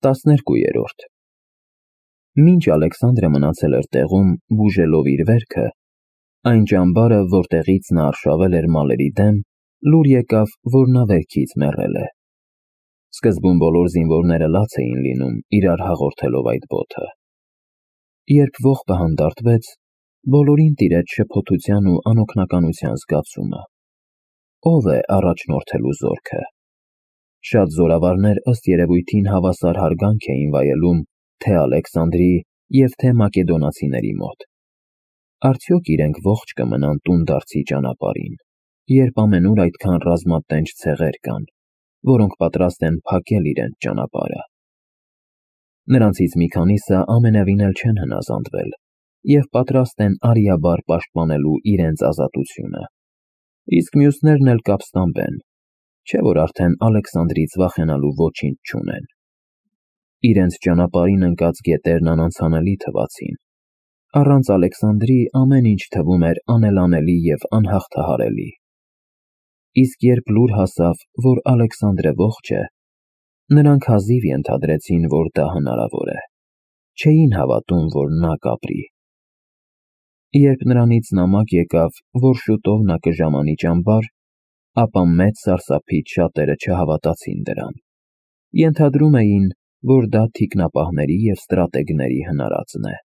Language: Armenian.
12-րդ Մինչ Ալեքսանդրը մնացել էր տեղում, բուժելով իր վերքը, այն ճամբարը, որտեղից նա արշավել էր մալերի դեմ, լուր եկավ, որ նա վերքից մեռել է։ Սկզբում բոլոր զինվորները լաց էին լինում, իրար հաղորդելով այդ բոթը։ Երբ ողբը հանդարտվեց, բոլորին տիրեց շփոթության ու անօգնականության զգացումը։ Ո՞վ է առաջնորդելու զորքը։ Շատ զորավարներ ըստ երևույթին հավասար հարգանք էին վայելում թե Ալեքսանդրի և թե մակեդոնացիների մոտ։ Արդյոք իրենք ողջ կմնան տունդարձի ճանապարհին, երբ ամենուր այդքան ռազմատենչ ցեղեր կան, որոնք պատրաստ են փակել իրենց ճանապարհը։ Նրանցից մի քանիսը ամենևին էլ չեն հնազանդվել և պատրաստ են արիաբար պաշտպանելու իրենց ազատությունը, իսկ մյուսներն էլ կապստամբեն, չէ՞ որ արդեն Ալեքսանդրից վախենալու ոչինչ չունեն։ Իրենց ճանապարհին ընկած գետերն անանցանելի թվացին։ Առանց Ալեքսանդրի ամեն ինչ թվում էր անելանելի և անհաղթահարելի։ Իսկ երբ լուր հասավ, որ Ալեքսանդրը ողջ է, նրանք հազիվ ենթադրեցին, որ դա հնարավոր է։ Չէին հավատում, որ նա կապրի։ Երբ նրանից նամակ եկավ, որ շուտով նա կժամանի ճամբար, ապա մեծ սարսափից շատերը չհավատացին դրան։ Ենթադրում էին, որ դա թիկնապահների և ստրատեգների հնարածն է։